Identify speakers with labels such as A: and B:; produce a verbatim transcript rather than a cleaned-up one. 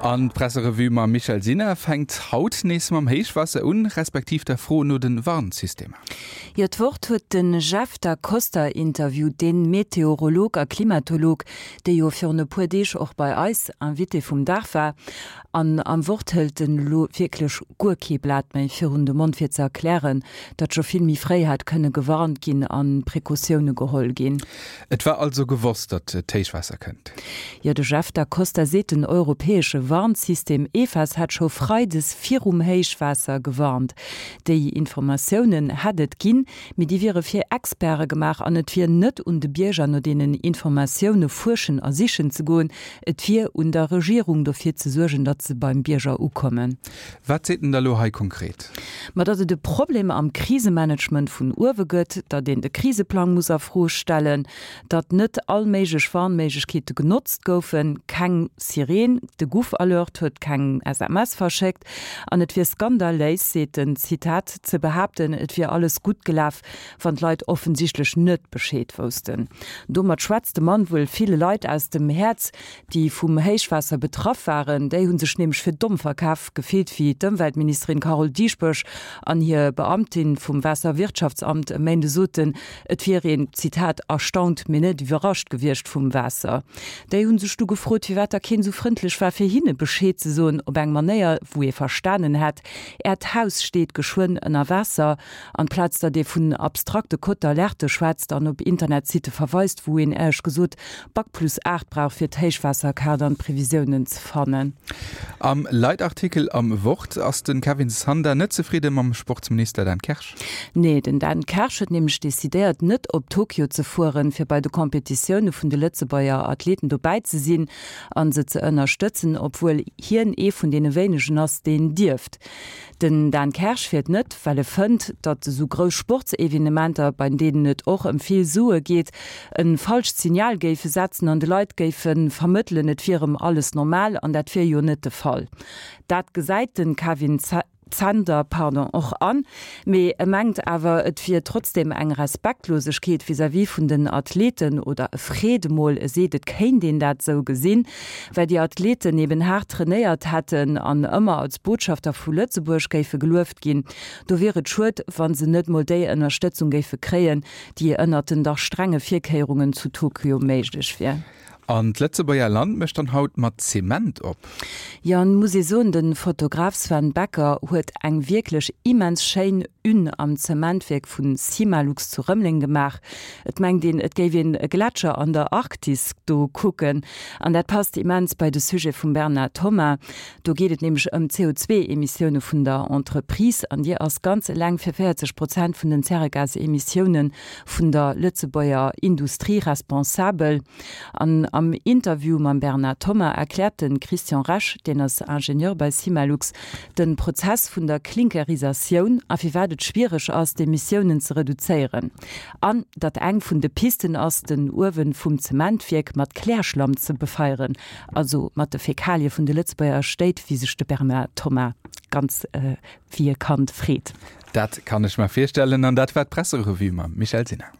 A: An d'Presserevue mam Michèle Sinner fänkt haut nees mam Héichwaasser un, respektiv der Fro no de Warnsystemer.
B: Jo, d'Wort huet de Jeff Da Costa interviewt, de Meteorolog a Klimatolog, dee jo virun e puer Deeg och bei eis Invité vum Dag war. An am Wort hëlt en elo wierklech guer kee Blat méi virun de Mond fir ze erklären, datt scho vill méi fréi hätt kënne gewarnt ginn a Precautioune geholl ginn.
A: Et war also gewosst, datt d'Héichwaasser kënnt.
B: Jo, de Jeff Da Costa seet, den europäesche Warnsystem EFAS hätt scho freides virum Héichwaasser gewarnt. Déi Informatiounen hätt et ginn, mee déi wiere fir Experte gemaach an et wier net un de Bierger no deenen Informatioune fuerschen a sichen ze goen. Et wier un der Regierung dofir ze suergen, datt se beim Bierger ukommen.
A: Wat seet en da lo hei konkret?
B: Ma datt et e Problem am Krisemanagement vun uewe gëtt, datt een de Kriseplang muss a Fro stellen, datt net all méiglech Warnméiglechkeete genotzt goufen, keng Sireen, de GouvAlert huet keng S M S verschéckt an et wier skandaléis, seet en, Zitat, ze behaapten, et wier alles gutt gelaf, wann d'Leit offensichtlech net Bescheed woussten. Domat schwätzt de Mann wuel ville Leit aus dem Häerz, déi vum Héichwaasser betraff waren. Déi hu sech nämlech fir domm verkaf gefillt, wéi d'Ëmweltministerin Carole Dieschbourg an hir Beamtin vum Waasserwirtschaftsamt e Méinde soten, et wier een, Zitat, erstaunt, mee net iwwerrascht gewiescht vum Waasser. Déi hu sech du gefrot, firwat da keen esou frëndlech war, fir hinne Bescheed ze soen, op eng Manéier, wou ee verstanen hätt, Äert Haus steet geschwënn ënner Waasser, amplaz datt ee vun abstrakte Codes d'alerte schwätzt an op Internetsitte verweist, wou een éierlech gesot Bac plus aacht brauch, fir d'Héichwaasserkaart an d'Previsiounen ze fannen.
A: Am Leitartikel am Wort ass de Kevin Sander net zefridde mam Sportsminister Dan Kersch.
B: Nee, den Dan Kersch huet nämlech decidéiert, net op Tokio ze fueren, fir bei de Competitioune vun de Lëtzebuerger Athleten dobäi ze sinn a se ze ënnerstëtzen, obwuel hien ee vun deene wéinegen ass, deen dierft. Den Dan Kersch fiert net, well e fënnt, datt esou grouss Sportsevenementer, bei deenen et och ëm vill Sue geet, e falscht Signal géife setzen an de Leit géife vermëttelen, et wier erëm alles normal, an dat wier jo net de Fall. Dat gesäit de Kevin Zender, pardon, och an, mee e mengt awer, et wier trotzdeem eng Respektlosegkeet vis-à-vis vun den Athleten oder e freet emol, e seet, et kéint een dat esou gesinn, well déi Athleten eben haart trainéiert hätten an ëmmer als Botschafter vu Lëtzebuerg géife gelueft ginn. Do wier et schued, wa se net mol déi Ënnerstëtzung géife kréien, déi ënnert den dach strenge Virkéierungen zu Tokio méiglech wier.
A: An d'Lëtzebuerger Land mécht dann haut mat Zement op.
B: Jo, an muss ee soen, de Fotograf Sven Becker huet eng wierklech immens schéin Une am Zementwierk vu Cimalux zu Rëmeleng gemaach. Et mengt een, et géif een e Gletscher an der Arktis do kucken. An dat passt immens bei de Sujet vum Bernard Thomas. Do geet et nämlech ëm d'C O zwee Emissioune vun der Entreprise an déi ass ganz eleng fir véierzeg Prozent vun den Zäregasemissioune vun der Lëtzebuerger Industrie responsabel. An am Interview mam Bernard Thomas erkläert de Christian Resch, deen ass Ingenieur bei Cimalux, de Prozess vun der Klinkerisatioun a firwat et schwiereg ass, d'Emissiounen ze reduzéieren. An datt eng vun de Pisten ass, den Uewen vum Zementwierk mat Klärschlamm ze befeieren, also mat de Fäkalie vun de Lëtzebuerger Stéit, wéi sech de Bernard Thomas ganz wéi e Kand freet.
A: Dat kann ech mer virstellen. An dat war d'Presserevue mam Michèle Sinner.